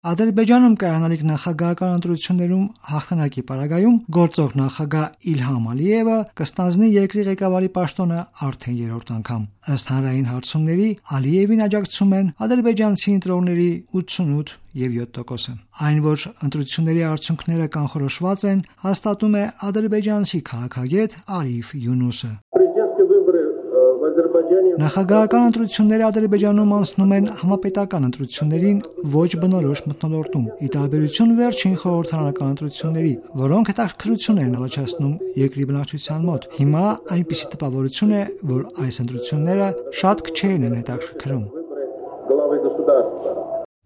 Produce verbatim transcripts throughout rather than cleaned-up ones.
Ադրբեջանում կայանալիք նախագահական ընտրություններում հաղթանակի պարագայում գործող նախագահ Իլհամ Ալիևը կստանձնի երկրի ղեկավարի պաշտոնը արդեն երրորդ անգամ։ Ըստ հանրային հարցումների Ալիևին աջակցում են ադրբեջանցի ընտրողների ութսունութ եւ յոթ տոկոսը։ Այն, որ ընտրությունների արդյունքները կանխորոշված են, հաստատում է ադրբեջանցի քաղաքագետ Արիֆ Յունուսը։ Նախագահական ընտրությունները Ադրբեջանում անցնում են համապետական ընտրություններին ոչ բնորոշ մթնոլորտում, ի տարբերություն վերջին խորհրդարանական ընտրությունների, որոնք հետաքրքրություն են առաջացնում երկրի բնակչության մոտ։ Հիմա այնպիսի տպավորություն է, որ այս ընտրությունները շատ քչերին են հետաքրքրում։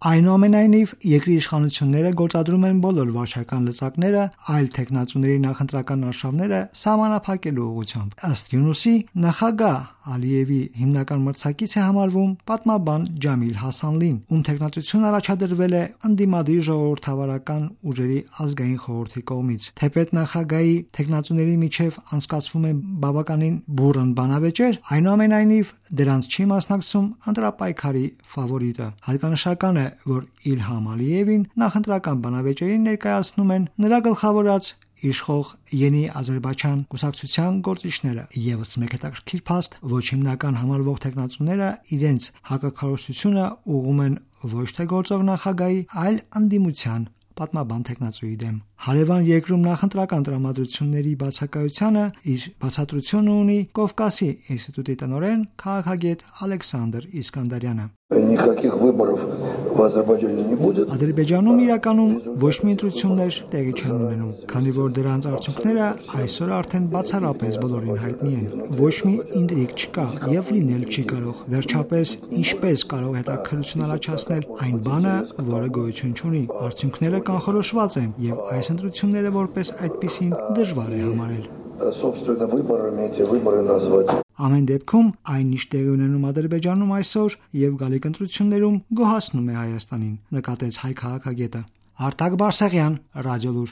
Այնուամենայնիվ, երկրի իշխանությունները գործադրում են բոլոր վարչական լծակները այլ թեկնածուների նախընտրական արշավները սահմանափակելու ուղղությամբ։ Ըստ Յունուսի, նախագահ Ալիևի հիմնական մրցակից է համարվում պատմաբան Ջամիլ Հասանլին, ում թեկնածությունը առաջադրվել է ընդդիմադիր ժողովրդավարական ուժերի ազգային խորհրդի կողմից։ Թեպետ նախագահի թեկնածուների միջև անցկացվում են բավականին բուռն բանավեճեր, այնուամենայնիվ դրանց չի մասնակցում ընտրապայքարի ֆավորիտը։ Հատկանշական է, որ Իլհամ Ալիևին նախընտրական բանավեճերին ներկայացնում են նրա գլխավորած իշխող Յենի Ադրբեջան կուսակցության գործիչները։ Եվս մեկ հետաքրքիր փաստ, ոչ հիմնական համարվող թեկնածուները իրենց հակաքարոզությունը ուղղում են ոչ թե գործող նախագահի, այլ ընդդիմության պատմաբան թեկնածուի դեմ։ Հարևան երկրում նախընտրական տրամադրությունների բացակայությանը իր բացատրությունը ունի Կովկասի ինստիտուտի տնօրեն քաղաքագետ Ալեքսանդր Իսկանդարյանը։ Ադրբեջանում իրականում ոչ մի ընտրություններ տեղի չեն ունենում, քանի որ դրանց արդյունքները այսօր արդեն բացառապես բոլորին հայտնի են։ Ոչ մի ինտրիգ չկա եւ լինել չի կարող։ Վերջապես, ինչպես կարող հետաքրքրություն առաջացնել այն բանը, որը գոյություն չունի։ Արդյունքները կանխորոշված են եւ այս ընտրությունները որպես այդպիսին դժվար է համարել։ Ամեն դեպքում, այն ինչ տեղի ունենում Ադրբեջանում այսօր եւ գալիք ընտրություններում գոհացնում է Հայաստանին, նկատեց հայ քաղաքագետը։ Արտակ Բարսեղյան, Ռադիոլուր։